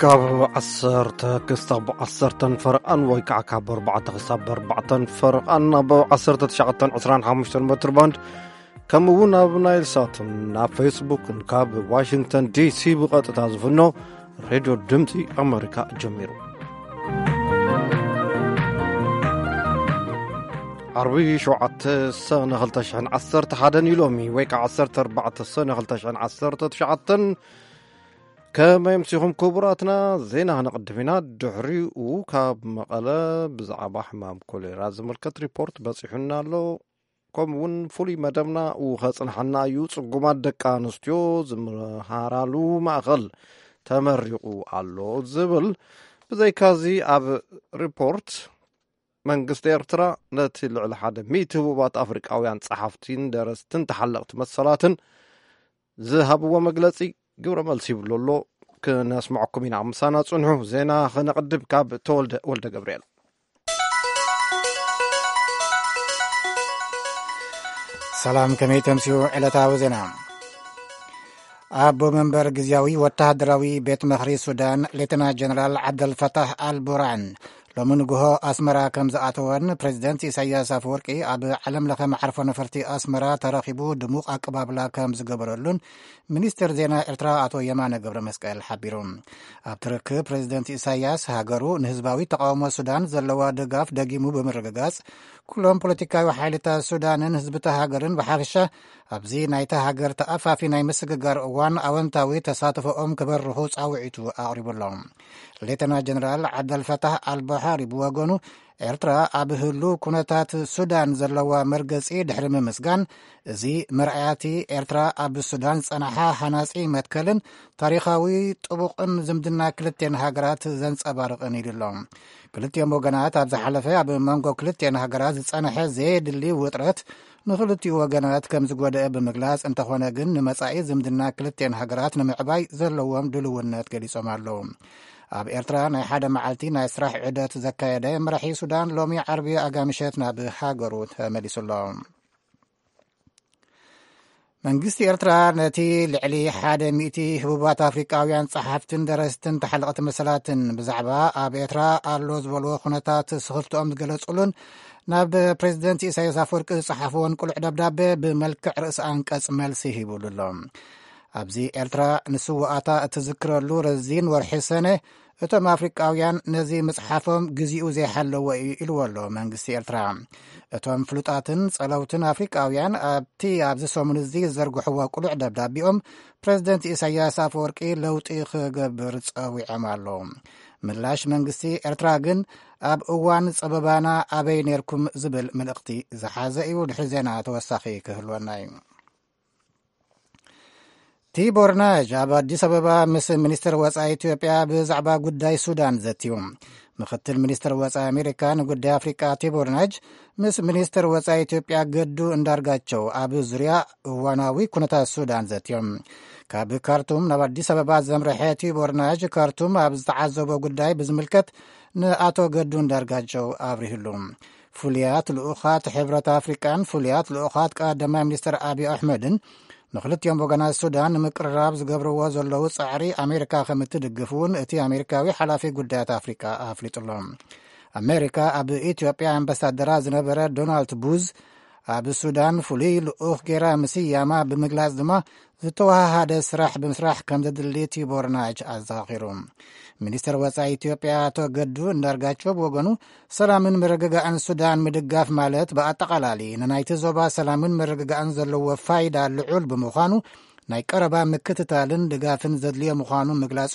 ካብ ዓሰርተ ክሳብ ዓሰርተን ፈረቓን ወይ ከዓ ካብ ኣርባዕተ ክሳብ ኣርባዕተን ፈረቓን ኣብ ዓሰርተ ትሽዓተን ዕስራን ሓሙሽተን ሜትር ባንድ፣ ከምኡ እውን ኣብ ናይል ሳትን ኣብ ፌስቡክን ካብ ዋሽንግተን ዲሲ ብቐጥታ ዝፍኖ ሬድዮ ድምፂ ኣመሪካ ጀሚሩ። ዓርቢ ሸውዓተ ሰነ ክልተ ሽሕን ዓሰርተ ሓደን እዩ ሎሚ፣ ወይ ከዓ ዓሰርተ ኣርባዕተ ሰነ ክልተ ሽሕን ዓሰርተ ትሽዓተን። ከመይ ኣምሲኹም ክቡራትና? ዜና ክነቕድም ኢና። ድሕሪኡ ካብ መቐለ ብዛዕባ ሕማም ኮሌራ ዝምልከት ሪፖርት በፂሑና ኣሎ። ከምኡ እውን ፍሉይ መደብና ከጽንሓና እዩ። ጽጉማት ደቂ ኣንስትዮ ዝምሃራሉ ማእኸል ተመሪቑ ኣሎ ዝብል። ብዘይካዚ ኣብ ሪፖርት መንግስቲ ኤርትራ ነቲ ልዕሊ ሓደ ሚእቲ ህቡባት ኣፍሪቃውያን ጸሓፍቲን ደረስትን ተሓለቕቲ መሰላትን ዝሃብዎ መግለጺ ግብረ መልሲ ይብሎ ኣሎ። ክነስምዐኩም ኢና። ምሳና ጽንሑ። ዜና ክነቕድም ካብ ተወልደ ወልደ ገብርኤል። ሰላም፣ ከመይ ተምስዩ? ዕለታዊ ዜና። ኣቦ መንበር ግዝያዊ ወተሃደራዊ ቤት ምኽሪ ሱዳን ሌተና ጀነራል ዓብደልፈታህ ኣልቡራን ሎሚ ንግሆ ኣስመራ ከም ዝኣተወን ፕሬዚደንት ኢሳያስ ኣፈወርቂ ኣብ ዓለም ለኸ መዓርፎ ነፈርቲ ኣስመራ ተረኺቡ ድሙቕ ኣቀባብላ ከም ዝገበረሉን ሚኒስትር ዜና ኤርትራ ኣቶ የማነ ገብረ መስቀል ሓቢሩ። ኣብቲ ርክብ ፕሬዚደንት ኢሳያስ ሃገሩ ንህዝባዊ ተቃውሞ ሱዳን ዘለዋ ድጋፍ ደጊሙ ብምርግጋጽ፣ ኩሎም ፖለቲካዊ ሓይልታት ሱዳንን ህዝብታ ሃገርን ብሓፈሻ ኣብዚ ናይታ ሃገር ተኣፋፊ ናይ ምስግጋር እዋን ኣወንታዊ ተሳትፎኦም ክበርኹ ጻውዒቱ ኣቕሪቡ ኣሎ። ሌተና ጀነራል ዓብደልፈታህ ኣልቡሓሪ ብወገኑ፣ ኤርትራ ኣብ ህሉ ኩነታት ሱዳን ዘለዋ መርገጺ ድሕሪ ምምስጋን፣ እዚ መርኣያቲ ኤርትራ ኣብ ሱዳን ዝጸንሓ ሃናጺ መትከልን ታሪኻዊ ጥቡቕን ዝምድና ክልቴን ሃገራት ዘንጸባርቕን ኢሉ ኣሎ። ክልቲኦም ወገናት ኣብ ዝሓለፈ ኣብ መንጎ ክልቲኤን ሃገራት ዝጸንሐ ዘየድሊ ውጥረት ንኽልቲኡ ወገናት ከም ዝጎደአ ብምግላጽ፣ እንተኾነ ግን ንመጻኢ ዝምድና ክልቲኤን ሃገራት ንምዕባይ ዘለዎም ድልውነት ገሊጾም ኣለዉ። ኣብ ኤርትራ ናይ ሓደ መዓልቲ ናይ ስራሕ ዑደት ዘካየደ መራሒ ሱዳን ሎሚ ዓርቢ ኣጋምሸት ናብ ሃገሩ ተመሊሱ ኣሎ። መንግስቲ ኤርትራ ነቲ ልዕሊ ሓደ ሚእቲ ህቡባት ኣፍሪቃውያን ጸሓፍትን ደረስትን ተሓለቕቲ መሰላትን ብዛዕባ ኣብ ኤርትራ ኣሎ ዝበልዎ ኩነታት ስኽፍትኦም ዝገለጹሉን ናብ ፕሬዚደንት ኢሳያስ ኣፈወርቂ ዝጸሓፍዎን ቅሉዕ ደብዳቤ ብመልክዕ ርእሲ ኣንቀጽ መልሲ ሂቡሉ ኣሎ። ኣብዚ ኤርትራ ንስውኣታ እትዝክረሉ ረዚን ወርሒ ሰነ፣ እቶም ኣፍሪቃውያን ነዚ ምጽሓፎም ግዜኡ ዘይሓለዎ እዩ ኢልዎ ኣሎ መንግስቲ ኤርትራ። እቶም ፍሉጣትን ጸለውትን ኣፍሪቃውያን ኣብቲ ኣብዚ ሰሙን እዚ ዝዘርግሕዎ ቅሉዕ ደብዳቤኦም፣ ፕሬዚደንት ኢሳያስ ኣፈወርቂ ለውጢ ክገብር ጸዊዖም ኣለዉ። ምላሽ መንግስቲ ኤርትራ ግን ኣብ እዋን ጸበባና ኣበይ ኔርኩም ዝብል መልእኽቲ ዝሓዘ እዩ። ድሕሪ ዜና ተወሳኺ ክህልወና እዩ። ቲቦር ናጅ ኣብ ኣዲስ ኣበባ ምስ ሚኒስትር ወጻኢ ኢትዮጵያ ብዛዕባ ጉዳይ ሱዳን ዘትዩ። ምክትል ሚኒስትር ወጻኢ ኣሜሪካ ንጉዳይ ኣፍሪቃ ቲቦር ናጅ ምስ ሚኒስትር ወጻኢ ኢትዮጵያ ገዱ እንዳርጋቸው ኣብ ዙርያ እዋናዊ ኩነታት ሱዳን ዘትዮም። ካብ ካርቱም ናብ ኣዲስ ኣበባ ዘምርሐ ቲቦር ናጅ ካርቱም ኣብ ዝተዓዘቦ ጉዳይ ብዝምልከት ንኣቶ ገዱ እንዳርጋቸው ኣብሪህሉ። ፍሉያት ልኡኻት ሕብረት ኣፍሪቃን ፍሉያት ልኡኻት ቀዳማይ ሚኒስትር ኣብይ ኣሕመድን ንክልቲኦም ወገናት ሱዳን ንምቅርራብ ዝገብርዎ ዘለዉ ጻዕሪ ኣሜሪካ ከም እትድግፍ እውን እቲ ኣሜሪካዊ ሓላፊ ጉዳያት ኣፍሪቃ ኣፍሊጡ ኣሎ። ኣሜሪካ ኣብ ኢትዮጵያ ኣምባሳደራ ዝነበረ ዶናልድ ቡዝ ኣብ ሱዳን ፍሉይ ልኡኽ ጌራ ምስያማ ብምግላጽ ድማ ዝተወሃሃደ ስራሕ ብምስራሕ ከም ዘድሊ ቲቦር ናጅ ኣዘኻኺሩ። ሚኒስትር ወጻኢ ኢትዮጵያ ኣቶ ገዱ እንዳርጋቸው ብወገኑ፣ ሰላምን ምርግጋእን ሱዳን ምድጋፍ ማለት ብኣጠቓላሊ ንናይቲ ዞባ ሰላምን ምርግጋእን ዘለዎ ፋይዳ ልዑል ብምዃኑ፣ ናይ ቀረባ ምክትታልን ድጋፍን ዘድልዮ ምዃኑ ምግላጹ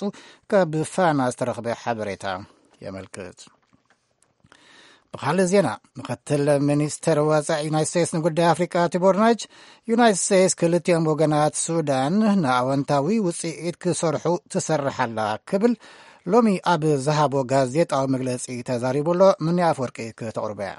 ካብ ፋና ዝተረኽበ ሓበሬታ የመልክት። ብኻልእ ዜና፣ ምክትል ሚኒስትር ወጻኢ ዩናይት ስቴትስ ንጉዳይ ኣፍሪቃ ቲቦር ናጅ፣ ዩናይት ስቴትስ ክልቲኦም ወገናት ሱዳን ንኣወንታዊ ውጽኢት ክሰርሑ ትሰርሕ ኣላ ክብል ሎሚ ኣብ ዝሃቦ ጋዜጣዊ መግለጺ ተዛሪቡ ኣሎ። ምንያ ኣፍወርቂ ክተቕርቦ እያ።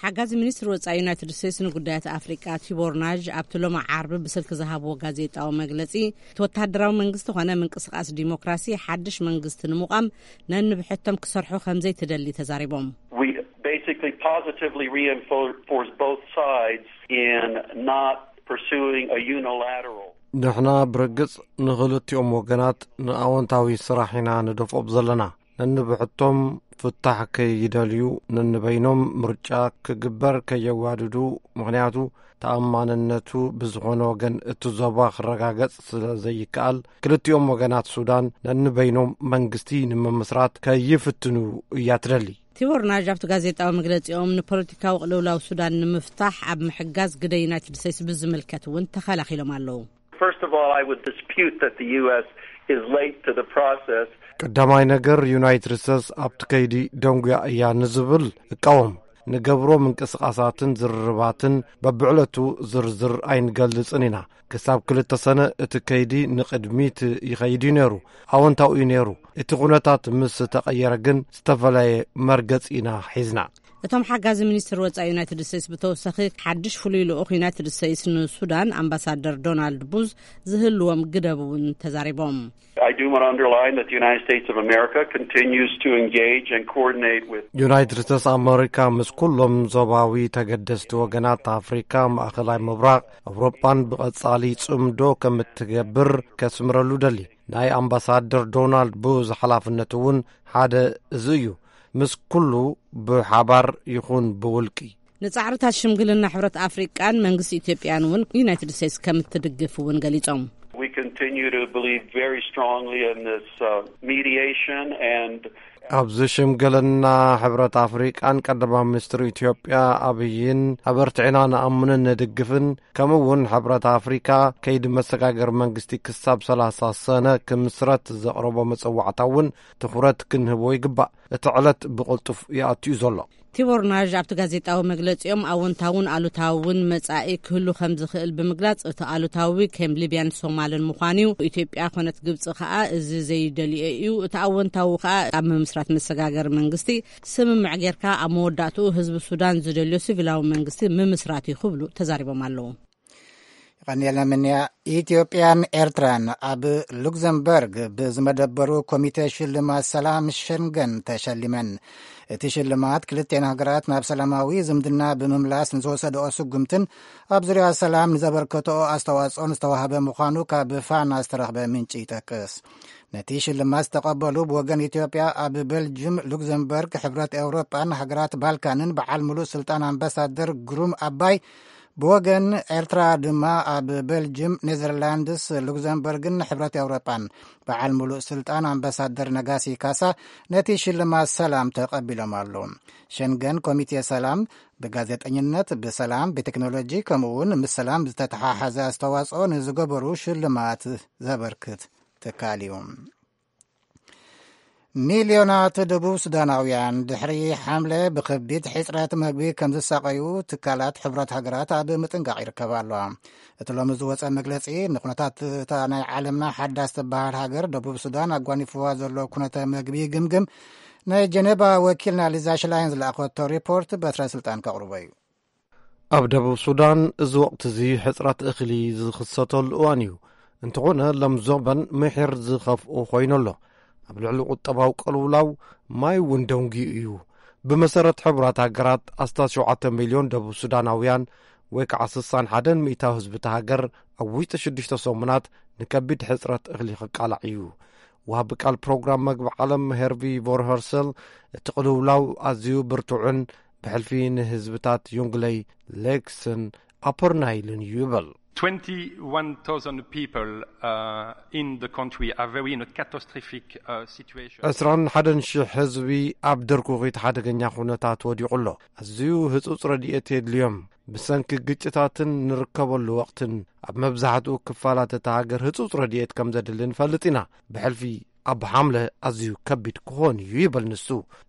ሓጋዚ ሚኒስትር ወጻኢ ዩናይትድ ስቴትስ ንጉዳያት ኣፍሪቃ ቲቦር ናጅ ኣብቲ ሎሚ ዓርቢ ብስልኪ ዝሃብዎ ጋዜጣዊ መግለጺ፣ እቲ ወተሃደራዊ መንግስቲ ኾነ ምንቅስቃስ ዲሞክራሲ ሓድሽ መንግስቲ ንምቋም ነንብሕቶም ክሰርሑ ከም ዘይትደሊ ተዛሪቦም። We basically positively reinforce both sides in not pursuing a unilateral ንሕና ብርግጽ ንኽልቲኦም ወገናት ንኣወንታዊ ስራሕ ኢና ንደፍኦም ዘለና። ነንብሕቶም ፍታሕ ከይደልዩ፣ ነንበይኖም ምርጫ ክግበር ከየዋድዱ፣ ምኽንያቱ ተኣማንነቱ ብዝኾነ ወገን እቲ ዞባ ክረጋገጽ ስለ ዘይከኣል፣ ክልቲኦም ወገናት ሱዳን ነንበይኖም መንግስቲ ንምምስራት ከይፍትኑ እያ ትደሊ። ቲቦር ናዥ ኣብቲ ጋዜጣዊ መግለጺኦም፣ ንፖለቲካዊ ቅልውላው ሱዳን ንምፍታሕ ኣብ ምሕጋዝ ግደ ዩናይትድ ስቴትስ ብዝምልከት እውን ተኸላኺሎም ኣለዉ። First of all, I would dispute that the U S is late to the process. ቀዳማይ ነገር፣ ዩናይትድ ስቴትስ ኣብቲ ከይዲ ደንጉያ እያ ንዝብል እቃወም። ንገብሮ ምንቅስቓሳትን ዝርርባትን በብዕለቱ ዝርዝር ኣይንገልጽን ኢና። ክሳብ ክልተ ሰነ እቲ ከይዲ ንቕድሚት ይኸይድ እዩ ነይሩ። ኣወንታዊ እዩ ነይሩ። እቲ ኩነታት ምስ ተቐየረ ግን ዝተፈለየ መርገጽ ኢና ሒዝና። እቶም ሓጋዚ ሚኒስትር ወጻኢ ዩናይትድ ስቴትስ ብተወሳኺ ሓድሽ ፍሉይ ልኡኽ ዩናይትድ ስቴትስ ንሱዳን ኣምባሳደር ዶናልድ ቡዝ ዝህልዎም ግደብ እውን ተዛሪቦም። I do want to underline that the United States of America continues to engage and coordinate with ዩናይትድ ስቴትስ ኣመሪካ ምስ ኩሎም ዞባዊ ተገደስቲ ወገናት ኣፍሪካ፣ ማእኸላይ ምብራቕ፣ ኣውሮጳን ብቐጻሊ ጽምዶ ከም እትገብር ከስምረሉ ደሊ። ናይ ኣምባሳደር ዶናልድ ቡዝ ሓላፍነት እውን ሓደ እዚ እዩ። ምስ ኩሉ ብሓባር ይኹን ብውልቂ። ንጻዕርታት ሽምግልና ሕብረት ኣፍሪቃን መንግስቲ ኢትዮጵያን እውን ዩናይትድ ስቴትስ ከም እትድግፍ እውን ገሊጾም። We continue to believe very strongly in this uh, mediation and ኣብዚ ሽምግልና ሕብረት ኣፍሪቃን ቀዳማይ ሚኒስትር ኢትዮጵያ ኣብይን ኣበርቲዕና ንኣምንን ንድግፍን፣ ከምኡ እውን ሕብረት ኣፍሪካ ከይዲ መሰጋገር መንግስቲ ክሳብ ሰላሳ ሰነ ክምስረት ዘቕረቦ መጸዋዕታ እውን ትኹረት ክንህቦ ይግባእ። እቲ ዕለት ብቕልጡፍ ይኣቱ እዩ ዘሎ። ቲቦር ናዥ ኣብቲ ጋዜጣዊ መግለጺኦም፣ ኣወንታውን ኣሉታውን መጻኢ ክህሉ ከም ዝኽእል ብምግላጽ፣ እቲ ኣሉታዊ ከም ሊብያን ሶማልን ምዃኑ እዩ። ኢትዮጵያ ኮነት ግብጺ ከኣ እዚ ዘይደልዮ እዩ። እቲ ኣወንታዊ ከኣ ኣብ ምምስራት መሰጋገሪ መንግስቲ ስምምዕ ጌርካ ኣብ መወዳእትኡ ህዝቢ ሱዳን ዝደልዮ ሲቪላዊ መንግስቲ ምምስራት እዩ ክብሉ ተዛሪቦም ኣለዉ። ይቐንየልና ምንያ። ኢትዮጵያን ኤርትራን ኣብ ሉክዘምበርግ ብዝመደበሩ ኮሚቴ ሽልማት ሰላም ሸንገን ተሸሊመን። እቲ ሽልማት ክልቴን ሃገራት ናብ ሰላማዊ ዝምድና ብምምላስ ንዝወሰደኦ ስጉምትን ኣብ ዙርያ ሰላም ንዘበርከተኦ ኣስተዋጽኦን ዝተዋህበ ምዃኑ ካብ ፋና ዝተረኽበ ምንጪ ይጠቅስ። ነቲ ሽልማት ዝተቐበሉ ብወገን ኢትዮጵያ ኣብ ቤልጅም፣ ሉክዘምበርግ፣ ሕብረት ኤውሮጳን ሃገራት ባልካንን በዓል ሙሉእ ስልጣን ኣምባሳደር ግሩም ኣባይ፣ ብወገን ኤርትራ ድማ ኣብ ቤልጅም፣ ኔዘርላንድስ፣ ሉክዘምበርግን ሕብረት ኤውሮጳን በዓል ሙሉእ ስልጣን ኣምባሳደር ነጋሲ ካሳ ነቲ ሽልማት ሰላም ተቐቢሎም ኣለዉ። ሸንገን ኮሚቴ ሰላም ብጋዜጠኝነት፣ ብሰላም፣ ብቴክኖሎጂ ከምኡውን ምስ ሰላም ዝተተሓሓዘ ኣስተዋጽኦ ንዝገበሩ ሽልማት ዘበርክት ትካል እዩ። ሚልዮናት ደቡብ ሱዳናውያን ድሕሪ ሓምለ ብከቢድ ሕጽረት መግቢ ከም ዝሳቐዩ ትካላት ሕብረት ሃገራት ኣብ ምጥንቃቕ ይርከባ ኣለዋ። እቲ ሎሚ ዝወጸ መግለጺ ንኩነታት እታ ናይ ዓለምና ሓዳስ ትበሃል ሃገር ደቡብ ሱዳን ኣጓኒፍዋ ዘሎ ኩነተ መግቢ ይግምግም። ናይ ጀኔቫ ወኪልና ሊዛ ሽላይን ዝለኣኸቶ ሪፖርት በትረ ስልጣን ከቕርቦ እዩ። ኣብ ደቡብ ሱዳን እዚ ወቕቲ እዚ ሕጽረት እኽሊ ዝኽሰተሉ እዋን እዩ። እንተኾነ ሎም ዘበን ምሒር ዝኸፍኦ ኮይኑ ኣሎ። ኣብ ልዕሊ ቁጠባዊ ቅልውላው ማይ እውን ደንጉዩ እዩ። ብመሰረት ሕቡራት ሃገራት ኣስታት ሸውዓተ ሚልዮን ደቡብ ሱዳናውያን ወይ ከዓ ስሳን ሓደን ሚእታዊ ህዝቢ እታ ሃገር ኣብ ውሽጢ ሽዱሽተ ሰሙናት ንከቢድ ሕጽረት እኽሊ ክቃላዕ እዩ። ወሃቢ ቃል ፕሮግራም መግቢ ዓለም ሄርቪ ቮርኸርሰል እቲ ቅልውላው ኣዝዩ ብርቱዕን ብሕልፊ ንህዝብታት ዮንግለይ፣ ሌክስን ኣፐር ናይልን እዩ ይብል። Twenty-one thousand people uh, in the country are very in a catastrophic uh, situation. ዕስራን ሓደን ሽሕ ህዝቢ ኣብ ድርኩኺት ሓደገኛ ኩነታት ወዲቑ ኣሎ። ኣዝዩ ህጹጽ ረድኤት የድልዮም። ብሰንኪ ግጭታትን ንርከበሉ ወቕትን ኣብ መብዛሕትኡ ክፋላት እታ ሃገር ህጹጽ ረድኤት ከም ዘድሊ ንፈልጥ ኢና። ብሕልፊ ኣብ ሓምለ ኣዝዩ ከቢድ ክኾን እዩ ይብል ንሱ።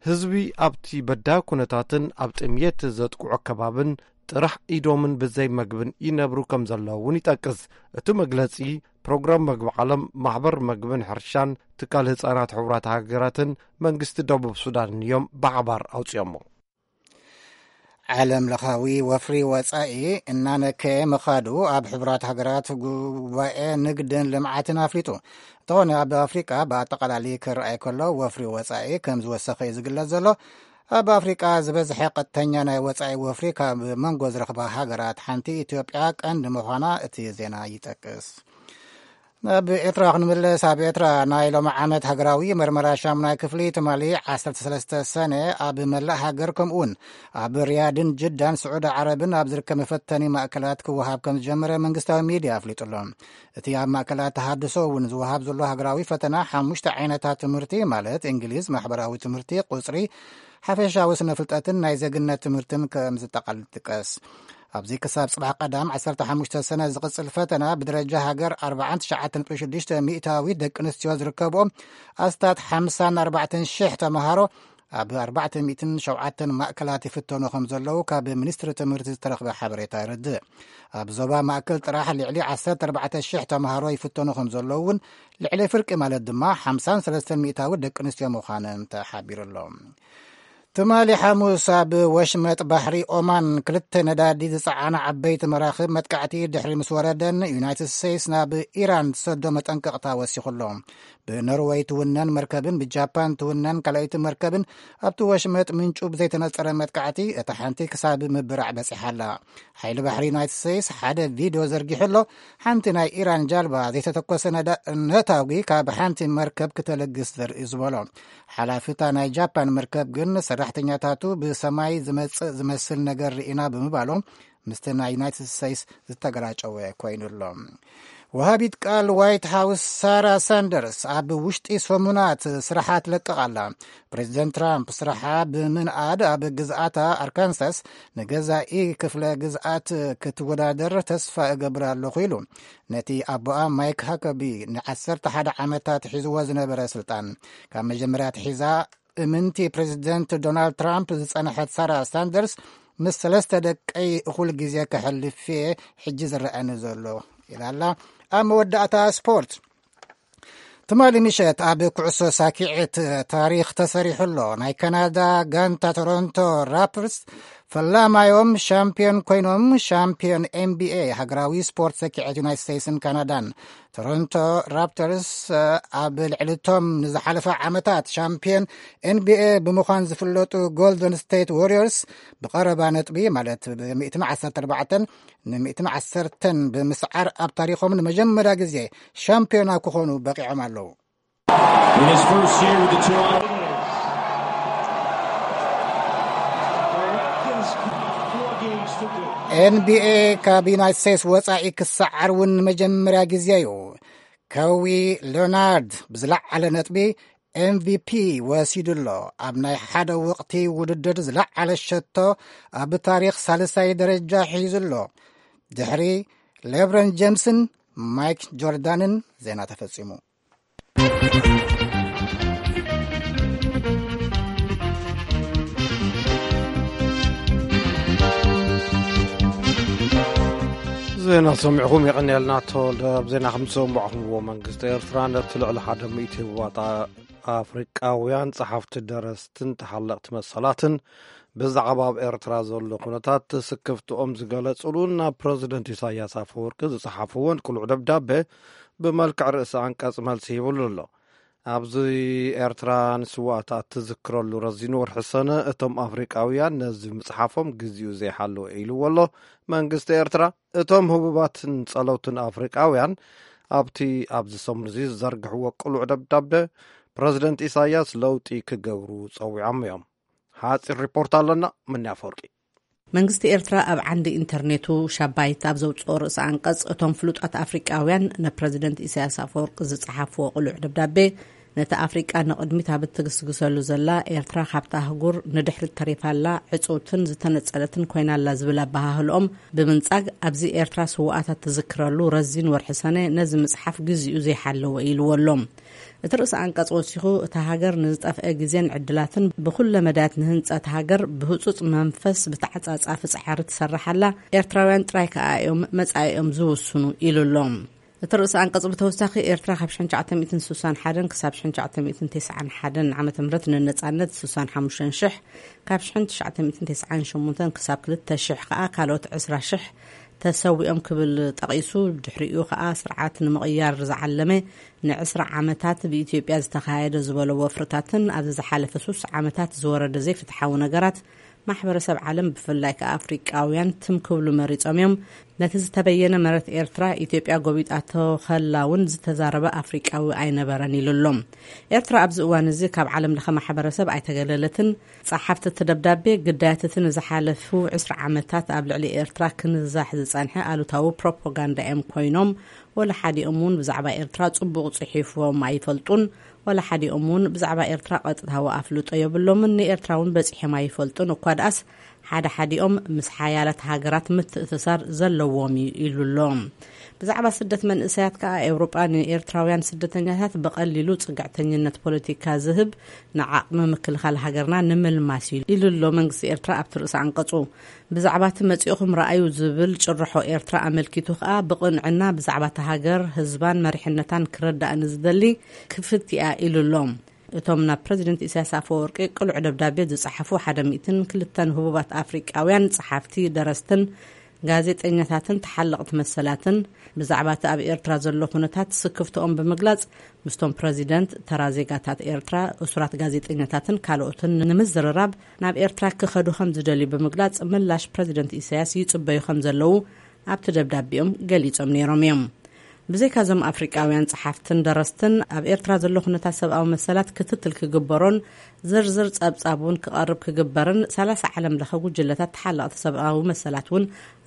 ህዝቢ ኣብቲ በዳሂ ኩነታትን ኣብ ጥምየት ዘጥቅዖ ከባብን ጥራሕ ኢዶምን ብዘይ መግብን ይነብሩ ከም ዘለዉ እውን ይጠቅስ። እቲ መግለጺ ፕሮግራም መግቢ ዓለም፣ ማሕበር መግብን ሕርሻን፣ ትካል ህጻናት ሕቡራት ሃገራትን መንግስቲ ደቡብ ሱዳንን እዮም ብሓባር ኣውጺኦሞ። ዓለም ለኻዊ ወፍሪ ወጻኢ እናነከየ ምኻዱ ኣብ ሕቡራት ሃገራት ጉባኤ ንግድን ልምዓትን ኣፍሊጡ። እንተኾነ ኣብ ኣፍሪቃ ብኣጠቓላሊ ክረኣይ ከሎ ወፍሪ ወጻኢ ከም ዝወሰኸ እዩ ዝግለጽ ዘሎ። ኣብ ኣፍሪቃ ዝበዝሐ ቀጥተኛ ናይ ወጻኢ ወፍሪ ካብ መንጎ ዝረኽባ ሃገራት ሓንቲ ኢትዮጵያ ቀንዲ ምዃና እቲ ዜና ይጠቅስ። ናብ ኤርትራ ክንምለስ፣ ኣብ ኤርትራ ናይ ሎሚ ዓመት ሃገራዊ መርመራ ሻሙናይ ክፍሊ ትማሊ ዓሰርተ ሰለስተ ሰነ ኣብ መላእ ሃገር፣ ከምኡውን ኣብ ሪያድን ጅዳን፣ ስዑዲ ዓረብን ኣብ ዝርከብ መፈተኒ ማእከላት ክወሃብ ከም ዝጀመረ መንግስታዊ ሚድያ ኣፍሊጡ ኣሎ። እቲ ኣብ ማእከላት ተሃድሶ እውን ዝወሃብ ዘሎ ሃገራዊ ፈተና ሓሙሽተ ዓይነታት ትምህርቲ፣ ማለት እንግሊዝ፣ ማሕበራዊ ትምህርቲ፣ ቁጽሪ፣ ሓፈሻዊ ስነ ፍልጠትን ናይ ዜግነት ትምህርትን ከም ዝጠቓልል ይጥቀስ። ኣብዚ ክሳብ ጽባሕ ቀዳም ዓሰርተ ሓሙሽተ ሰነ ዝቕጽል ፈተና ብደረጃ ሃገር ኣርባዓን ትሽዓተ ነጥቢ ሽዱሽተ ሚእታዊት ደቂ ኣንስትዮ ዝርከብኦ ኣስታት ሓምሳን ኣርባዕተን ሽሕ ተምሃሮ ኣብ ኣርባዕተ ሚእትን ሸውዓተን ማእከላት ይፍተኑ ከም ዘለዉ ካብ ሚኒስትሪ ትምህርቲ ዝተረኽበ ሓበሬታ የረድእ። ኣብ ዞባ ማእከል ጥራሕ ልዕሊ ዓሰርተ ኣርባዕተ ሽሕ ተምሃሮ ይፍተኑ ከም ዘለዉ እውን፣ ልዕሊ ፍርቂ ማለት ድማ ሓምሳን ሰለስተን ሚእታዊ ደቂ ኣንስትዮ ምዃነን ተሓቢሩ ኣሎ። ትማሊ ሓሙስ ኣብ ወሽመጥ ባሕሪ ኦማን ክልተ ነዳዲ ዝጸዓና ዓበይቲ መራኽብ መጥቃዕቲ ድሕሪ ምስ ወረደን፣ ዩናይትድ ስቴትስ ናብ ኢራን ትሰዶ መጠንቀቕታ ወሲኹ ኣሎ። ብኖርወይ ትውነን መርከብን ብጃፓን ትውነን ካልኣይቲ መርከብን ኣብቲ ወሽመጥ ምንጩ ብዘይተነጸረ መጥቃዕቲ እታ ሓንቲ ክሳብ ምብራዕ በጺሓ ኣላ። ሓይሊ ባሕሪ ዩናይትድ ስቴትስ ሓደ ቪድዮ ዘርጊሑ ኣሎ። ሓንቲ ናይ ኢራን ጃልባ ዘይተተኮሰ ነዳ-፣ ነታጒ ካብ ሓንቲ መርከብ ክተለግስ ዘርኢ ዝበሎ። ሓላፊታ ናይ ጃፓን መርከብ ግን ሰራሕተኛታቱ ብሰማይ ዝመጽእ ዝመስል ነገር ርኢና ብምባሎም ምስቲ ናይ ዩናይትድ ስቴትስ ዝተገራጨወ ኮይኑ ኣሎ። ወሃቢት ቃል ዋይት ሃውስ ሳራ ሳንደርስ ኣብ ውሽጢ ሰሙናት ስራሓ ትለቅቕ ኣላ። ፕሬዚደንት ትራምፕ ስራሓ ብምንኣድ ኣብ ግዝኣታ ኣርካንሳስ ንገዛኢ ክፍለ ግዝኣት ክትወዳደር ተስፋ እገብር ኣለኹ ኢሉ። ነቲ ኣቦኣ ማይክ ሃከቢ ንዓሰርተ ሓደ ዓመታት ሒዝዎ ዝነበረ ስልጣን ካብ መጀመርያ ትሒዛ እምንቲ ፕሬዚደንት ዶናልድ ትራምፕ ዝጸንሐት ሳራ ሳንደርስ፣ ምስ ሰለስተ ደቀይ እኹል ግዜ ከሕልፍ እየ ሕጂ ዝረኣኒ ዘሎ ኢላ ኣላ። ኣብ መወዳእታ ስፖርት፣ ትማሊ ምሸት ኣብ ኩዕሶ ሳኪዕት ታሪኽ ተሰሪሑ ኣሎ። ናይ ካናዳ ጋንታ ቶሮንቶ ራፕተርስ ፈላማዮም ሻምፒዮን ኮይኖም፣ ሻምፒዮን ኤንቢኤ፣ ሃገራዊ ስፖርት ሰኪዐት ዩናይትድ ስቴትስን ካናዳን። ቶሮንቶ ራፕተርስ ኣብ ልዕሊቶም ንዝሓለፈ ዓመታት ሻምፒዮን ኤንቢኤ ብምዃን ዝፍለጡ ጎልደን ስቴት ዋሪየርስ ብቐረባ ነጥቢ፣ ማለት ብ ሚእትን ዓሰርተ ኣርባዕተን ን ሚእትን ዓሰርተን ብምስዓር ኣብ ታሪኾም ንመጀመርያ ግዜ ሻምፒዮና ክኾኑ በቂዖም ኣለዉ። In his first year with the Toronto ኤንቢኤ ካብ ዩናይትድ ስቴትስ ወጻኢ ክሰዓር እውን ንመጀመርያ ግዜ እዩ። ከዊ ሌናርድ ብዝለዓለ ነጥቢ ኤምቪፒ ወሲዱ ኣሎ። ኣብ ናይ ሓደ ወቕቲ ውድድር ዝለዓለ ሸቶ ኣብ ታሪኽ ሳልሳይ ደረጃ ሒዙ ኣሎ። ድሕሪ ሌብረን ጀምስን ማይክ ጆርዳንን። ዜና ተፈጺሙ። ዜና ሰሚዕኹም የቐንየልና። ተወልደ። ኣብ ዜና ከም ዝሰማዕኹምዎ፣ መንግስቲ ኤርትራ ነቲ ልዕሊ ሓደ ሚእቲ ህቡባት ኣፍሪቃውያን ጸሓፍቲ፣ ደረስትን ተሓለቕቲ መሰላትን ብዛዕባ ኣብ ኤርትራ ዘሎ ኩነታት ስክፍትኦም ዝገለጽሉን ናብ ፕረዚደንት ኢሳያስ ኣፈወርቂ ዝጸሓፍዎን ቅሉዕ ደብዳቤ ብመልክዕ ርእሲ ኣንቀጽ መልሲ ሂብሉ ኣሎ። ኣብዚ ኤርትራ ንስዋእታ እትዝክረሉ ረዚን ወርሒ ሰነ፣ እቶም ኣፍሪቃውያን ነዚ ምጽሓፎም ግዜኡ ዘይሓለወ ኢልዎ ኣሎ መንግስቲ ኤርትራ። እቶም ህቡባትን ጸለውትን ኣፍሪቃውያን ኣብቲ ኣብዚ ሰሙን እዚ ዝዘርግሕዎ ቅሉዕ ደብዳቤ፣ ፕረዚደንት ኢሳያስ ለውጢ ክገብሩ ጸዊዖም እዮም። ሓጺር ሪፖርት ኣለና። ምንያ ኣፈወርቂ። መንግስቲ ኤርትራ ኣብ ዓንዲ ኢንተርኔቱ ሻባይት ኣብ ዘውጽኦ ርእሰ ኣንቀጽ፣ እቶም ፍሉጣት ኣፍሪቃውያን ንፕረዚደንት ኢሳያስ ኣፈወርቂ ዝጸሓፍዎ ቅሉዕ ደብዳቤ፣ ነቲ ኣፍሪቃ ንቕድሚት ኣብ እትግስግሰሉ ዘላ፣ ኤርትራ ካብታ ኣህጉር ንድሕሪት ተሪፋ ኣላ፣ ዕጽውትን ዝተነጸለትን ኮይና ኣላ ዝብል ኣበሃህልኦም ብምንጻግ፣ ኣብዚ ኤርትራ ስውኣታት ትዝክረሉ ረዚን ወርሒ ሰነ ነዚ ምጽሓፍ ግዜኡ ዘይሓለወ ኢልዎ ኣሎ። እቲ ርእሰ ኣንቀጽ ወሲኹ፣ እታ ሃገር ንዝጠፍአ ግዜን ዕድላትን ብኹለ መዳያት ንህንጸት ሃገር ብህጹጽ መንፈስ ብተዓጻጻፊ ጻዕሪ ትሰርሕ ኣላ፣ ኤርትራውያን ጥራይ ከኣ እዮም መጻኢኦም ዝውስኑ ኢሉ ኣሎ። እቲ ርእሰ ኣንቀጽ ብተወሳኺ፣ ኤርትራ ካብ ሽሕን ትሽዓተ ሚእትን ስሳን ሓደን ክሳብ ሽሕን ትሽዓተ ሚእትን ተስዓን ሓደን ዓመተ ምህረት ንነጻነት ስሳን ሓሙሽተን ሽሕ፣ ካብ ሽሕን ትሽዓተ ሚእትን ተስዓን ሸሞንተን ክሳብ ክልተ ሽሕ ከኣ ካልኦት ዕስራ ሽሕ ተሰዊኦም ክብል ጠቒሱ፣ ድሕሪኡ ከኣ ስርዓት ንምቕያር ዝዓለመ ንዕስራ ዓመታት ብኢትዮጵያ ዝተኻየደ ዝበሎ ወፍርታትን ኣብዚ ዝሓለፈ ሱስ ዓመታት ዝወረደ ዘይፍትሓዊ ነገራት ማሕበረሰብ ዓለም፣ ብፍላይ ከኣ ኣፍሪቃውያን፣ ትም ክብሉ መሪጾም እዮም። ነቲ ዝተበየነ መሬት ኤርትራ፣ ኢትዮጵያ ጎቢጣቶ ከላ እውን ዝተዛረበ ኣፍሪቃዊ ኣይነበረን ኢሉ ኣሎ። ኤርትራ ኣብዚ እዋን እዚ ካብ ዓለም ለኸ ማሕበረሰብ ኣይተገለለትን። ጸሓፍቲ እቲ ደብዳቤ፣ ግዳያት እቲ ንዝሓለፉ ዕስራ ዓመታት ኣብ ልዕሊ ኤርትራ ክንዛሕ ዝጸንሐ ኣሉታዊ ፕሮፓጋንዳ እዮም ኮይኖም፣ ወላ ሓዲኦም እውን ብዛዕባ ኤርትራ ጽቡቕ ጽሒፎም ኣይፈልጡን። ወላ ሓዲኦም እውን ብዛዕባ ኤርትራ ቀጥታዊ ኣፍልጦ የብሎምን፣ ንኤርትራ እውን በጺሖም ኣይፈልጡን። እኳ ደኣስ ሓደ ሓዲኦም ምስ ሓያላት ሃገራት ምትእስሳር ዘለዎም እዩ ኢሉ ኣሎ። ብዛዕባ ስደት መንእሰያት ከኣ፣ ኤውሮጳ ንኤርትራውያን ስደተኛታት ብቐሊሉ ጽግዕተኝነት ፖለቲካ ዝህብ፣ ንዓቕሚ ምክልኻል ሃገርና ንምልማስ እዩ ኢሉ ኣሎ መንግስቲ ኤርትራ ኣብቲ ርእሰ ኣንቀጹ። ብዛዕባ እቲ መጺእኹም ረኣዩ ዝብል ጭርሖ ኤርትራ ኣመልኪቱ ከኣ፣ ብቕንዕና ብዛዕባ እታ ሃገር፣ ህዝባን መሪሕነታን ክረዳእ ንዝደሊ ክፍት እያ ኢሉ ኣሎ። እቶም ናብ ፕረዚደንት ኢሳያስ ኣፈወርቂ ቅሉዕ ደብዳቤ ዝጸሓፉ ሓደ ሚእትን ክልተን ህቡባት ኣፍሪቃውያን ጸሓፍቲ፣ ደረስትን ጋዜጠኛታትን ተሓለቕቲ መሰላትን፣ ብዛዕባ እቲ ኣብ ኤርትራ ዘሎ ኩነታት ስክፍትኦም ብምግላጽ፣ ምስቶም ፕረዚደንት፣ ተራ ዜጋታት ኤርትራ፣ እሱራት ጋዜጠኛታትን ካልኦትን ንምዝርራብ ናብ ኤርትራ ክኸዱ ከም ዝደልዩ ብምግላጽ፣ ምላሽ ፕረዚደንት ኢሳያስ ይጽበዩ ከም ዘለዉ ኣብቲ ደብዳቤኦም ገሊጾም ነይሮም እዮም። ብዘይካ እዞም ኣፍሪቃውያን ጸሓፍትን ደረስትን፣ ኣብ ኤርትራ ዘሎ ኩነታት ሰብኣዊ መሰላት ክትትል ክግበሮን ዝርዝር ጸብጻብ እውን ክቐርብ ክግበርን፣ ሰላሳ ዓለም ለኸ ጉጅለታት ተሓለቕቲ ሰብኣዊ መሰላት እውን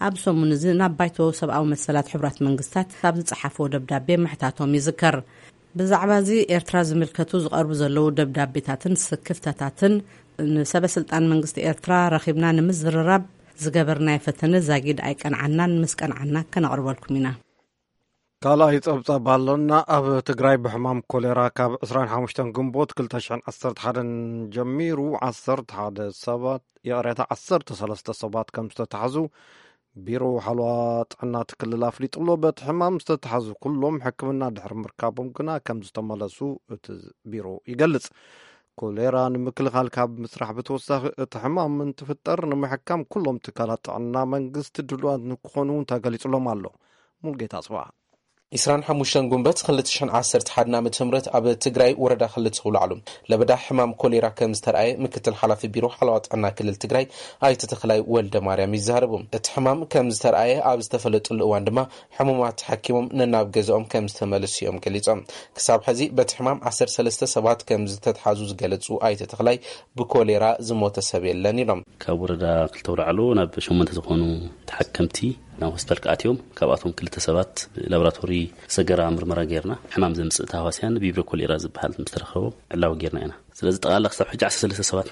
ኣብ ሰሙን እዚ ናብ ባይቶ ሰብኣዊ መሰላት ሕቡራት መንግስታት ኣብ ዝጸሓፍዎ ደብዳቤ ምሕታቶም ይዝከር። ብዛዕባ እዚ ኤርትራ ዝምልከቱ ዝቐርቡ ዘለዉ ደብዳቤታትን ስክፍታታትን፣ ንሰበ ስልጣን መንግስቲ ኤርትራ ረኺብና ንምዝርራብ ዝገበርናዮ ፈተነ ዛጊድ ኣይቀንዓናን፣ ምስ ቀንዓና ከነቕርበልኩም ኢና። ካልኣይ ጸብጻብ ኣሎና። ኣብ ትግራይ ብሕማም ኮሌራ ካብ ዕስራን ሓሙሽተን ግንቦት ክልተ ሽሕን ዓሰርተ ሓደን ጀሚሩ ዓሰርተ ሓደ ሰባት፣ ይቕሬታ፣ ዓሰርተ ሰለስተ ሰባት ከም ዝተታሕዙ ቢሮ ሓለዋ ጥዕና እቲ ክልል ኣፍሊጡ ኣሎ። በቲ ሕማም ዝተታሕዙ ኩሎም ሕክምና ድሕሪ ምርካቦም ግና ከም ዝተመለሱ እቲ ቢሮ ይገልጽ። ኮሌራ ንምክልኻል ካብ ምስራሕ ብተወሳኺ፣ እቲ ሕማም እንትፍጠር ንምሕካም ኩሎም ትካላት ጥዕና መንግስቲ ድሉዋት ንክኾኑ እውን ተገሊጹሎም ኣሎ። ሙልጌታ ጽባሕ። ዕስራን ሓሙሽተን ጉንበት ክልተ ሽሕን ዓሰርተ ሓደን ዓመተ ምህረት ኣብ ትግራይ ወረዳ ክልተ ውላዕሉ ለበዳ ሕማም ኮሌራ ከም ዝተረኣየ ምክትል ሓላፊ ቢሮ ሓለዋ ጥዕና ክልል ትግራይ ኣይተ ተኽላይ ወልደ ማርያም ይዛረቡ። እቲ ሕማም ከም ዝተረኣየ ኣብ ዝተፈለጠሉ እዋን ድማ ሕሙማት ተሓኪሞም ነናብ ገዛኦም ከም ዝተመለሱ እዮም ገሊጾም። ክሳብ ሕዚ በቲ ሕማም ዓሰርተ ሰለስተ ሰባት ከም ዝተትሓዙ ዝገለጹ ኣይተ ተኽላይ፣ ብኮሌራ ዝሞተ ሰብ የለን ኢሎም። ካብ ወረዳ ክልተ ውላዕሎ ናብ ሸሞንተ ዝኾኑ ተሓከምቲ ናብ ሆስፒታል ክኣትዮም፣ ካብኣቶም ክልተ ሰባት ላቦራቶሪ ሰገራ ምርመራ ጌርና፣ ሕማም ዘምጽእ ተሃዋስያን ቪብሪዮ ኮሌራ ዝበሃል ምስ ተረኸቦም ዕላዊ ጌርና ኢና። ስለዚ ጠቕላላ ክሳብ ሕጂ ዓሰርተ ሰለስተ ሰባት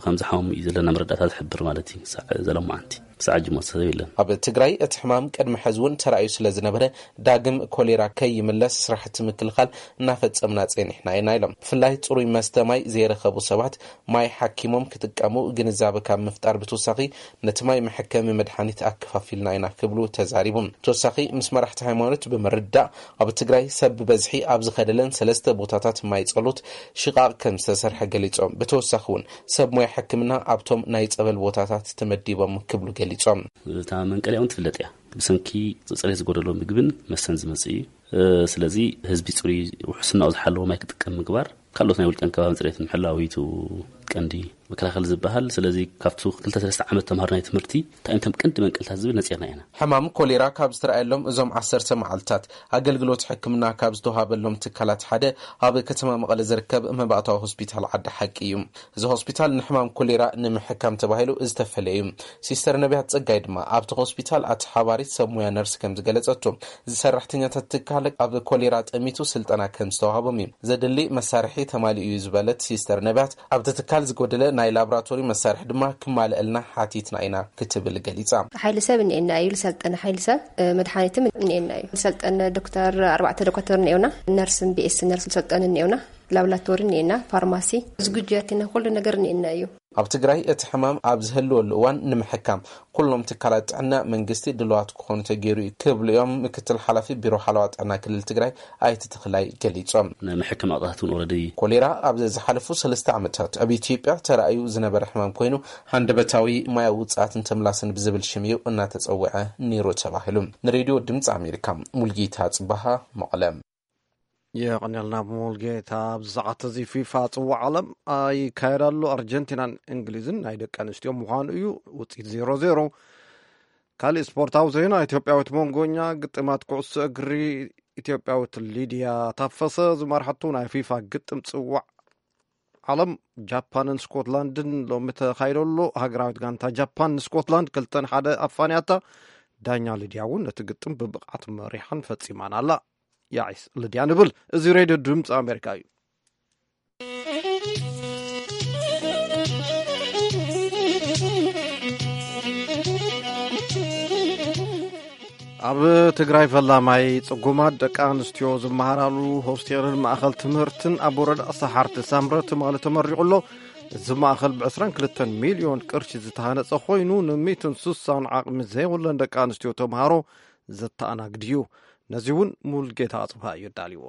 ከም ዝሓመሙ እዩ ዘለና መረዳእታ ዝሕብር ማለት እዩ። ክሳዕ ዘለማዓንቲ፣ ክሳዕ ሕጂ ሞተ ሰብ የለን። ኣብ ትግራይ እቲ ሕማም ቅድሚ ሕዚ እውን ተራእዩ ስለ ዝነበረ፣ ዳግም ኮሌራ ከይምለስ ስራሕቲ ምክልኻል እናፈጸምና ጸኒሕና ኢና ኢሎም። ብፍላይ ጽሩይ መስተ ማይ ዘይረኸቡ ሰባት ማይ ሓኪሞም ክጥቀሙ ግንዛበ ካብ ምፍጣር ብተወሳኺ፣ ነቲ ማይ መሐከሚ መድሓኒት ኣከፋፊልና ኢና ክብሉ ተዛሪቦም። ተወሳኺ ምስ መራሕቲ ሃይማኖት ብምርዳእ፣ ኣብ ትግራይ ሰብ ብበዝሒ ኣብ ዝኸደለን ሰለስተ ቦታታት ማይ ጸሎት ሽቓቕ ከም ዝተሰርሐ ገሊጾም። ብተወሳኺ እውን ሰብ ሞያ ሕክምና ኣብቶም ናይ ጸበል ቦታታት ተመዲቦም ክብሉ ገሊጾም። እታ መንቀሊያ እውን ትፍለጥ እያ። ብሰንኪ ጽሬት ዝጎደሎ ምግብን መስተን ዝመጽእ እዩ። እ፣ ስለዚ ህዝቢ ጽሩይ ውሕስናኡ ዝሓለወ ማይ ክጥቀም ምግባር፣ ካልኦት ናይ ውልቀን ከባብን ጽሬት ምሕላው እዩ እቲ ቀንዲ መከላኸሊ ዝበሃል። ስለዚ ካብቲ ክልተ ሰለስተ ዓመት ተምሃሮ ናይ ትምህርቲ እንታይ እዮም እቶም ቀንዲ መንቀልታት ዝብል ነጺርና ኢና። ሕማም ኮሌራ ካብ ዝተረኣየሎም እዞም ዓሰርተ መዓልታት ኣገልግሎት ሕክምና ካብ ዝተዋሃበሎም ትካላት ሓደ ኣብ ከተማ መቐለ ዝርከብ መባእታዊ ሆስፒታል ዓዲ ሓቂ እዩ። እዚ ሆስፒታል ንሕማም ኮሌራ ንምሕካም ተባሂሉ ዝተፈለየ እዩ። ሲስተር ነቢያት ጸጋይ ድማ ኣብቲ ሆስፒታል ኣተሓባሪት ሰብ ሙያ ነርስ ከም ዝገለጸቶ፣ እዚ ሰራሕተኛታት ትካል ኣብ ኮሌራ ጠሚቱ ስልጠና ከም ዝተዋህቦም እዩ። ዘድሊ መሳርሒ ተማሊኡ እዩ ዝበለት ሲስተር ነቢያት፣ ኣብቲ ትካል ዝጎደለ ናይ ላቦራቶሪ መሳርሒ ድማ ክማልአልና ሓቲትና ኢና ክትብል ገሊጻ። ሓይሊ ሰብ እኒኤና እዩ፣ ዝሰልጠነ ሓይሊ ሰብ፣ እ፣ መድሓኒትም እኒኤና እዩ። ዝሰልጠነ ዶክተር፣ ኣርባዕተ ዶክተር እኒኤውና፣ ነርስን ቢ ኤስ ነርስ ዝሰልጠኑ እኒኤውና፣ ላብራቶሪ እኒኤና፣ ፋርማሲ፣ ዝግጁ ያቲና ኩሉ ነገር እኒኤና እዩ። ኣብ ትግራይ እቲ ሕማም ኣብ ዝህልወሉ እዋን ንምሕካም ኩሎም ትካላት ጥዕና መንግስቲ ድልዋት ክኾኑ ተገይሩ እዩ ክብሉ እዮም ምክትል ሓላፊ ቢሮ ሓለዋ ጥዕና ክልል ትግራይ ኣይተ ተኽላይ ገሊጾም። ናይ መሐከሚ ኣቕጣታት እውን ኦረዲ። ኮሌራ ኣብ ዝሓለፉ ሰለስተ ዓመታት ኣብ ኢትዮጵያ ተራእዩ ዝነበረ ሕማም ኮይኑ፣ ሃንደበታዊ ማያዊ ውጽኣትን ተምላስን ብዝብል ሽም እዩ እናተጸውዐ ነይሩ ተባሂሉ። ንሬድዮ ድምፂ ኣሜሪካ፣ ሙልጌታ ጽባሃ፣ መቐለ። የቐንየልና ሙልጌታ። ኣብዚ ሰዓት እዚ ፊፋ ጽዋዕ ዓለም ኣይካየድ ኣሎ። ኣርጀንቲናን እንግሊዝን ናይ ደቂ ኣንስትዮ ምዃኑ እዩ። ውጽኢት ዜሮ ዜሮ። ካልእ ስፖርታዊ ዜና፣ ኢትዮጵያዊት መንጎኛ ግጥማት ኩዕሶ እግሪ ኢትዮጵያዊት ሊድያ ታፈሰ ዝመርሓቱ ናይ ፊፋ ግጥም ጽዋዕ ዓለም ጃፓንን ስኮትላንድን ሎሚ ተኻይዶ ኣሎ። ሃገራዊት ጋንታ ጃፓን ንስኮትላንድ ክልተን ሓደ ኣፋንያታ። ዳኛ ሊድያ እውን ነቲ ግጥም ብብቕዓት መሪሓን ፈጺማን ኣላ። ያዒስ ሊድያ ንብል። እዚ ሬድዮ ድምፂ ኣሜሪካ እዩ። ኣብ ትግራይ ፈላማይ ጽጉማት ደቂ ኣንስትዮ ዝመሃራሉ ሆስቴልን ማእኸል ትምህርትን ኣብ ወረዳ ሰሓርቲ ሳምረ ትማሊ ተመሪቑ ኣሎ። እዚ ማእኸል ብ ዕስራን ክልተን ሚልዮን ቅርሺ ዝተሃነጸ ኮይኑ፣ ን ሚእትን ስሳን ዓቕሚ ዘይብለን ደቂ ኣንስትዮ ተምሃሮ ዘተኣናግድ እዩ። ነዚ እውን ሙልጌታ ኣጽብሃ እዩ ኣዳልዎ።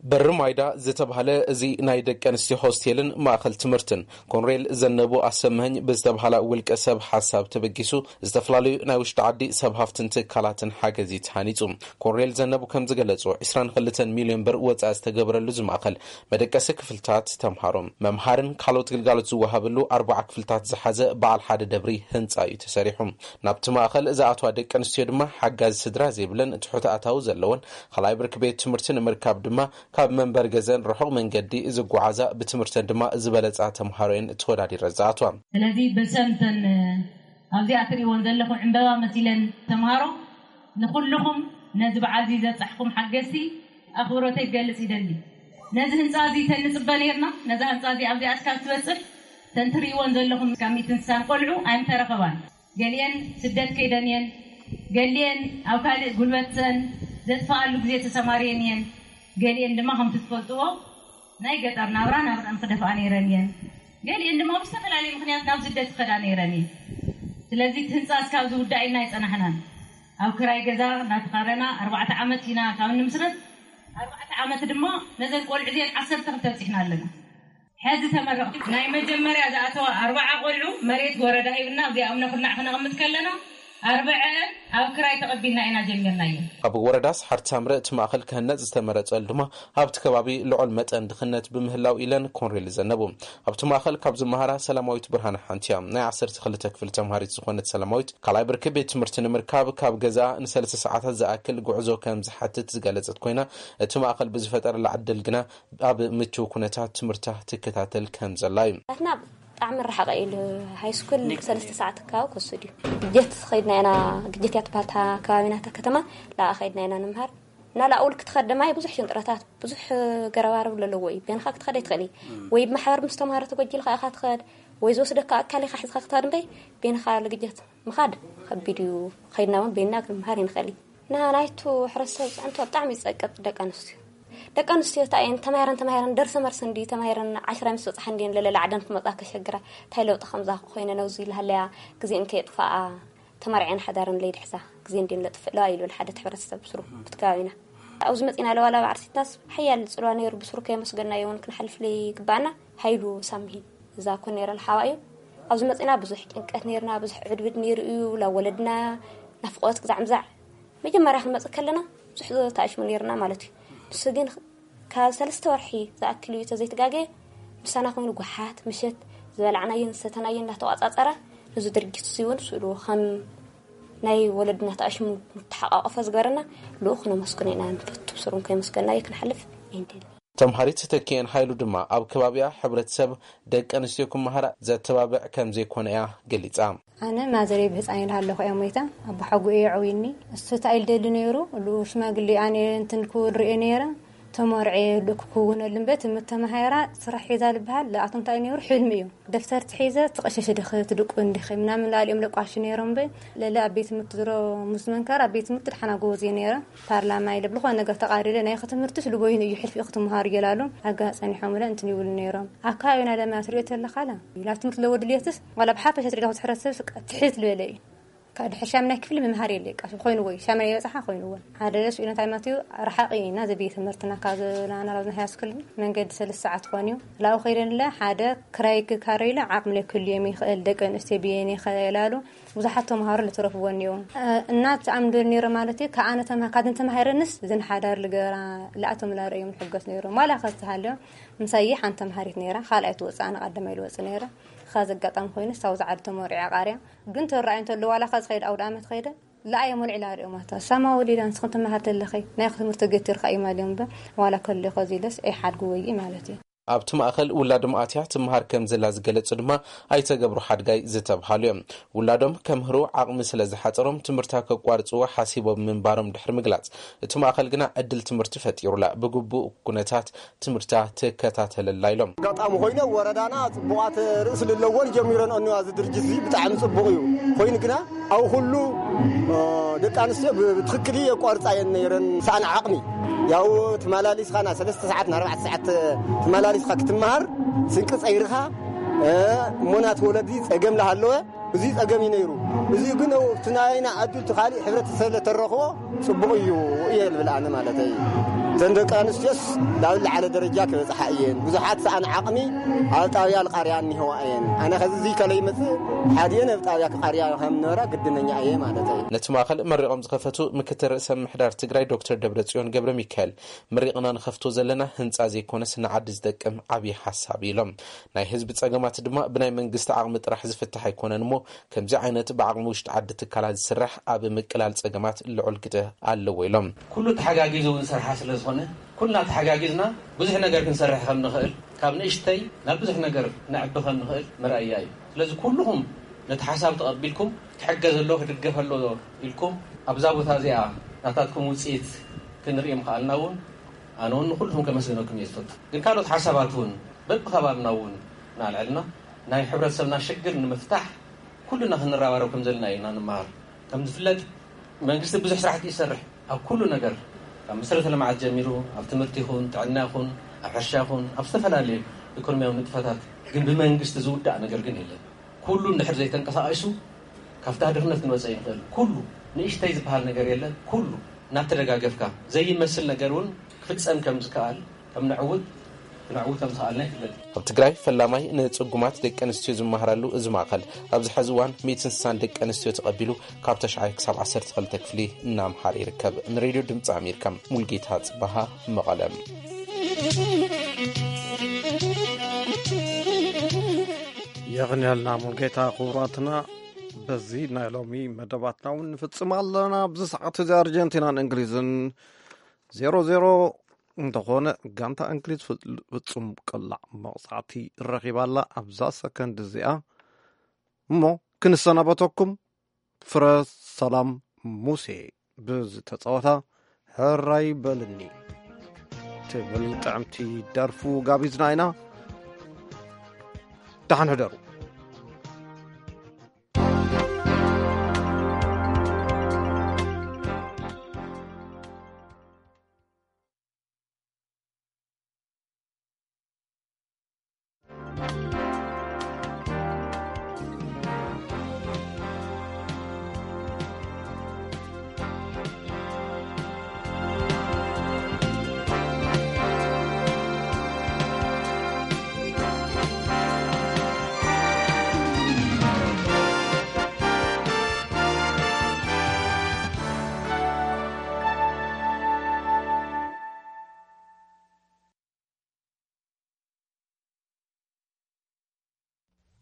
በሪ ማይዳ ዝተባህለ እዚ ናይ ደቂ ኣንስትዮ ሆስቴልን ማእኸል ትምህርትን፣ ኮንሬል ዘነቡ ኣሰመኸኝ ብዝተባህላ ውልቀ ሰብ ሓሳብ ተበጊሱ፣ ዝተፈላለዩ ናይ ውሽጢ ዓዲ ሰብ ሃፍትን ትካላትን ሓገዝ እዩ ተሃኒጹ። ኮንሬል ዘነቡ ከም ዝገለጹ፣ ዕስራን ክልተን ሚልዮን ብር ወጻኢ ዝተገበረሉ እዚ ማእኸል መደቀሲ ክፍልታት፣ ተምሃሮ፣ መምሃርን ካልኦት ግልጋሎት ዝወሃበሉ ኣርባዓ ክፍልታት ዝሓዘ በዓል ሓደ ደብሪ ህንጻ እዩ ተሰሪሑ። ናብቲ ማእኸል ዝኣትዋ ደቂ ኣንስትዮ ድማ ሓጋዚ ስድራ ዘይብለን ትሑት ኣታዊ ዘለወን ካልኣይ ብርኪ ቤት ትምህርቲ ንምርካብ ድማ ካብ መንበሪ ገዘን ርሑቕ መንገዲ ዝጓዓዛ፣ ብትምህርተን ድማ ዝበለጻ ተምሃሮ እየን ተወዳዲረን ዝኣትዋ። ስለዚ በሰምተን ኣብዚኣ ትርእይወን ዘለኹም ዕምበባ መሲለን ተምሃሮ፣ ንኹልኹም ነዚ በዓል እዚ ዘብጻሕኩም ሓገዝቲ ኣኽብሮተይ ክገልጽ ይደሊ። ነዚ ህንጻ እዚ ተንጽበ ነርና። ነዛ ህንጻ እዚ ኣብዚኣ እስካብ ትበጽሕ ተን ትርእይወን ዘለኹም ካብ ሚእትን ስሳን ቆልዑ ኣይምተረኸባን። ገሊኤን ስደት ከይደን እየን። ገሊኤን ኣብ ካልእ ጉልበተን ዘጥፍኣሉ ግዜ ተሰማርየን እየን። ገሊኤን ድማ ከምቲ ትፈልጥዎ ናይ ገጠር ናብራ ናብረን ክደፍኣ ነይረን እየን። ገሊኤን ድማ ብዝተፈላለየ ምኽንያት ናብ ስደት ክኸዳ ነይረን እየን። ስለዚ እቲ ህንጻ እስካብ ዝውዳእ ኢልና ኣይጸናሕናን። ኣብ ክራይ ገዛ እናተኻረና ኣርባዕተ ዓመት ኢና ካብ ንምስረት፣ ኣርባዕተ ዓመት ድማ ነዘን ቆልዑ እዚአን ዓሰርተ ክልተ ኣብጺሕና ኣለና። ሕዚ ተመረቕቲ ናይ መጀመርያ ዝኣተዋ ኣርባዓ ቆልዑ መሬት ወረዳ ሂብና፣ እዚኣ እምነ ኩርናዕ ክነቕምጥ ከለና ኣርብዐአን ኣብ ክራይ ተቐቢልና ኢና ጀሚርናዮ። ኣብ ወረዳ ሰሓርቲ ሳምረ እቲ ማእኸል ክህነፅ ዝተመረፀሉ ድማ ኣብቲ ከባቢ ልዑል መጠን ድኽነት ብምህላው ኢለን ኮንሬል ዘነቡ። ኣብቲ ማእኸል ካብ ዝመሃራ ሰላማዊት ብርሃነ ሓንቲ እያ። ናይ ዓሰርተ ክልተ ክፍሊ ተምሃሪት ዝኾነት ሰላማዊት ካልኣይ ብርኪ ቤት ትምህርቲ ንምርካብ ካብ ገዛ ንሰለስተ ሰዓታት ዝኣክል ጉዕዞ ከም ዝሓትት ዝገለፀት ኮይና፣ እቲ ማእኸል ብዝፈጠረላ ዕድል ግና ኣብ ምቹው ኩነታት ትምህርታ ትከታተል ከም ዘላ እዩ። ናትና ብጣዕሚ ርሓቐ ኢሉ ሃይ ስኩል ሰለስተ ሰዓት ኣካባቢ ክወስድ እዩ። ግጀት ኸይድና ኢና፣ ግጀት እያ ትበሃል እታ ከባቢና፣ እታ ከተማ። ላኣ ኸይድና ኢና ንምሃር። እና ላኣ ውልቂ ትኸድ ድማ ብዙሕ ሽንጥረታት፣ ብዙሕ ገረባርብ ለለዎ እዩ። ቤንኻ ክትኸድ ኣይትኽእል እዩ። ወይ ብማሕበር ምስ ተምሃሮ ተጎጂልካ ኢኻ ትኸድ፣ ወይ ዝወስደካ ኣካል ኢኻ ሒዝካ ክትኸድ እምበይ፣ ቤንኻ ልግጀት ምኻድ ከቢድ እዩ። ኸይድና እውን ቤንና ክንምሃር ይንኽእል እዩ። ና ናይቱ ሕብረተሰብ ፅዕንቶ ብጣዕሚ ይፀቅጥ። ደቂ ኣንስትዮ፣ ደቂ ኣንስትዮ እንታይ እየን ተማሂረን ተማሂረን ደርሰ መርሲ እንዲ ተማሂረን ዓሽራ ምስ በፅሓ እንዲየን ለለላ ዓደን ክመፃ ከሸግራ። እንታይ ለውጢ ከምዛ ኮይነ ነብዚ ልሃለያ ግዜን ከየጥፋኣ ተማሪዐን ሓዳረን ለይድሕዛ ግዜ እንዲየን ለጥፍእለዋ ኢሉ ሓደ ሕብረተሰብ ብስሩ ብቲ ከባቢና። ኣብዚ መፂና ለዋላ ባዕርሲትናስ ሓያል ፅልዋ ነይሩ። ብስሩ ከየመስገናዮ እውን ክንሓልፍ ለይግባኣና። ሓይሉ ሳምሂን እዛ ኮ ነይረ ልሓዋ እዩ። ኣብዚ መፂና ብዙሕ ጭንቀት ነይርና፣ ብዙሕ ዕድብድ ነይሩ እዩ። ላብ ወለድና ናፍቆት ግዛዕ ምዛዕ መጀመርያ ክንመፅእ ከለና ብዙሕ ተኣሽሙ ነይርና ማለት እዩ። ንሱ ግን ካብ ሰለስተ ወርሒ ዝኣክል እዩ ተዘይትጋገ ምሳና ኮይኑ ጓሓት ምሸት ዝበላዕናዮን ዝሰተናዮን እናተቋፃፀረ፣ ነዚ ድርጊት እዚ እውን ስእሉ ከም ናይ ወለድና ተኣሽሙ ንተሓቋቆፈ ዝገበረና ልኡኽ ነመስግኖ ኢና ንፈቱ። ብስሩም ከይመስገናዮ ክንሓልፍ ኣይንደሊ። ተምሃሪት ተኪኤን ሓይሉ ድማ ኣብ ከባቢኣ ሕብረተሰብ ደቂ ኣንስትዮ ክመሃራ ዘተባብዕ ከም ዘይኮነ እያ ገሊጻ። ኣነ ማዘረይ ብህፃን ኢለ ኣለኹ እያ ሞይታ። ኣቦ ሓጉ እየ ዓውይኒ። እሱ እንታይ ኢል ደሊ ነይሩ፣ እሉ ሽማግሌ ኣነ እንትን ክውል ርእየ ነይረ። ተመርዐ ልእክ ክውነሉ እምበር ትምህርት ተማሃራ ስራሕ ሒዛ ልበሃል ለኣቶም እንታይ ነይሩ፣ ሕልሚ እዩ። ደፍተር ትሒዘ ትቐሸሸ ድኸ ትድቁ እንዲኸ ምናምን ላልኦም ለቋሽ ነይሮም። በ ለለ ኣብ ቤት ትምህርቲ ዝሮ ምስ መንከር ኣብ ቤት ትምህርቲ ድሓና ጎበዝ እየ ነይረ። ፓርላማ ኢለ ብልኾነ ነገር ተቓሪረ ናይ ትምህርትስ ልቦይን እዩ ሕልፊ ክትምሃሩ እየላሉ። ኣጋ ጸኒሖም ለ እንትን ይብሉ ነይሮም። ኣብ ከባቢና ለማ ትሪኦ ተለኻላ ላብ ትምህርቲ ለወ ድልየትስ ዋላ ብሓፈሻ ትሪኦ ትሕረሰብ ትሕት ልበለ እዩ። ካብ ድሕሪ ሻምናይ ክፍሊ ምምሃር የለ ቃ ኮይንዎ እዩ። ሻምናይ ይበፅሓ ኮይንዎ ሓደ ደስ ኢሉ እንታይ ማለት እዩ? ረሓቂ ኢና ዝብይ ትምህርትና ካብ ናና ናብ ናይ ሃይስኩል መንገዲ ሰለስተ ሰዓት ክኾን እዩ። ላው ከይደንለ ሓደ ክራይ ክካረይለ ዓቕሚ ክልዮም ይኽእል፣ ደቂ ኣንስትዮ ብየን ይኽእላሉ። ብዙሓት ተምሃሮ ልትረፍዎ እኒኦ። እናት ኣምዶ ነይረ ማለት እዩ። ከኣነ ተምሃ- ካትን ተምሃረንስ ዝንሓዳር ልገራ ልኣቶም ላርእዮም ሕገስ ነይሮም ዋላ ከዝተሃልዮም። ምሳይ ሓንቲ ተምሃሪት ነይራ፣ ካልኣይ ትወፅእ ኣነ ቀዳማይ ልወፅእ ነይረ። ኻዚ ኣጋጣሚ ኮይኑ ሳው ዝዓድ ተመሪዓ ቃርያ ግን ተረኣዩ እንተሎ ዋላ ኻዚ ኸይድ ኣውደ ኣመት ኸይደ ልኣየ መልዒላ ርእዮማታ ሳማ ወሊዳ ንስኽን ትመሃር ተለኸይ ናይ ትምህርቲ ገቲርካ እዩ ማልዮም በር ዋላ ከሎ ኸዚ ኢለስ ኣይሓድጉ ወይ ማለት እዩ። ኣብቲ ማእኸል ውላዶም ኣትያ ትምሃር ከም ዘላ ዝገለጹ ድማ ኣይተገብሩ ሓድጋይ ዝተብሃሉ እዮም። ውላዶም ከምህሩ ዓቕሚ ስለ ዝሓጸሮም ትምህርታ ከቋርጽዎ ሓሲቦም ምንባሮም ድሕሪ ምግላጽ፣ እቲ ማእኸል ግና ዕድል ትምህርቲ ፈጢሩላ ብግቡእ ኩነታት ትምህርታ ትከታተለላ ኢሎም። ኣጋጣሚ ኮይነ ወረዳና ጽቡቓት ርእሲ ለለዎን ጀሚረን እኒዋ እዚ ድርጅት እዚ ብጣዕሚ ጽቡቕ እዩ። ኮይኑ ግና ኣብ ኩሉ እ፣ ደቂ ኣንስትዮ ብ- ብትኽክል የቋርጻ እየን ነይረን። ሰኣን ዓቕሚ ያው ትመላሊስኻ ና ሰለስተ ሰዓት ና ኣርባዕተ ሰዓት ትመላሊስኻ ክትመሃር ስንቂ ጸይርኻ እ፣ እሞ ናት ወለዲ ጸገም ለሃለወ እዚ ጸገም እዩ ነይሩ። እዚ ግን ኣብቲ ናይና ዕድል እቲ ካሊእ ሕብረተሰብ ለተረኽቦ ጽቡቕ እዩ እየ ልብል ኣነ ማለተይ። እተን ደቂ ኣንስትዮስ ናብ ዝለዓለ ደረጃ ክበጽሓ እየን። ብዙሓት ሰኣን ዓቕሚ ኣብ ጣብያ ልቃርያ እኒህዋ እየን። ኣነ ኸዚ እዚ ከለይ መጽእ ሓድየን ኣብ ጣብያ ክቃርያ ከም ነበራ ግድነኛ እየ ማለተይ። ነቲ ማእኸል መሪቖም ዝኸፈቱ ምክትል ርእሰ ምምሕዳር ትግራይ ዶክተር ደብረጽዮን ገብረ ሚካኤል፣ መሪቕና ንኸፍቶ ዘለና ህንፃ ዘይኮነስ ንዓዲ ዝጠቅም ዓብዪ ሓሳብ ኢሎም። ናይ ህዝቢ ጸገማት ድማ ብናይ መንግስቲ ዓቕሚ ጥራሕ ዝፍታሕ ኣይኮነን እሞ ከምዚ ዓይነት ብዓቕሚ ውሽጢ ዓዲ ትካላት ዝስራሕ ኣብ ምቅላል ጸገማት ልዑል ግደ ኣለዎ ኢሎም። ኩሉ ተሓጋጊዙ እውን ስርሓ ስለ ዝኾነ ኩልና ተሓጋጊዝና ብዙሕ ነገር ክንሰርሕ ከም ንኽእል ካብ ንእሽተይ ናብ ብዙሕ ነገር ነዕቢ ከም ንኽእል መርኣያ እዩ። ስለዚ ኩልኹም ነቲ ሓሳብ ተቐቢልኩም ክሕገዝ ኣሎ ክድገፍ ኣሎ ኢልኩም ኣብዛ ቦታ እዚኣ ናታትኩም ውፅኢት ክንርኢ ምኽኣልና እውን ኣነ እውን ንኩልኹም ከመስግነኩም እየ ዝፈቱ። ግን ካልኦት ሓሳባት እውን በብከባብና እውን እናልዐልና ናይ ሕብረተሰብና ሽግር ንምፍታሕ ኩልና ክንረባረብ ከም ዘለና ኢና ንመሃር። ከም ዝፍለጥ መንግስቲ ብዙሕ ስራሕቲ ይሰርሕ ኣብ ኩሉ ነገር ካብ መሰረተ ልምዓት ጀሚሩ ኣብ ትምህርቲ ይኹን ጥዕና ይኹን ኣብ ሕርሻ ይኹን ኣብ ዝተፈላለዩ ኢኮኖሚያዊ ንጥፈታት ግን ብመንግስቲ ዝውዳእ ነገር ግን የለን። ኩሉ እንድሕር ዘይተንቀሳቒሱ ካብታ ድኽነት ክንወፀ ይንኽእል። ኩሉ ንእሽተይ ዝበሃል ነገር የለን። ኩሉ እናተደጋገፍካ ዘይመስል ነገር እውን ክፍፀም ከም ዝከኣል ከም ነዕውት ክነዕውት ከም ዝኸኣልና ይፍለጥ። ኣብ ትግራይ ፈላማይ ንፅጉማት ደቂ ኣንስትዮ ዝመሃራሉ እዚ ማእኸል ኣብዚ ሐዚ እዋን ሚእትን ስሳን ደቂ ኣንስትዮ ተቐቢሉ ካብ ተሽዓይ ክሳብ ዓሰርተ ክልተ ክፍሊ እናምሃረ ይርከብ። ንሬድዮ ድምፂ ኣሜሪካ ሙልጌታ ፅባሃ መቐለም። የቕንየልና ሙልጌታ። ክቡራትና በዚ ናይ ሎሚ መደባትና እውን ንፍጽም ኣለና። ኣብዚ ሰዓት እዚ ኣርጀንቲናን እንግሊዝን ዜሮ ዜሮ እንተኾነ ጋንታ እንግሊዝ ፍጹም ቅላዕ መቕጻዕቲ ረኺባ ኣላ ኣብዛ ሰከንድ እዚኣ። እሞ ክንሰናበተኩም ፍረ ሰላም ሙሴ ብዝተጻወታ ሕራይ በልኒ ትብል ጥዕምቲ ደርፉ ጋቢዝና ኢና። ደሓን ሕደሩ።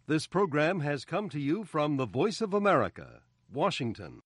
This program has come to you from the Voice of America, Washington.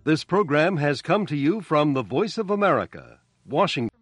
This program has come to you from the Voice of America, Washington.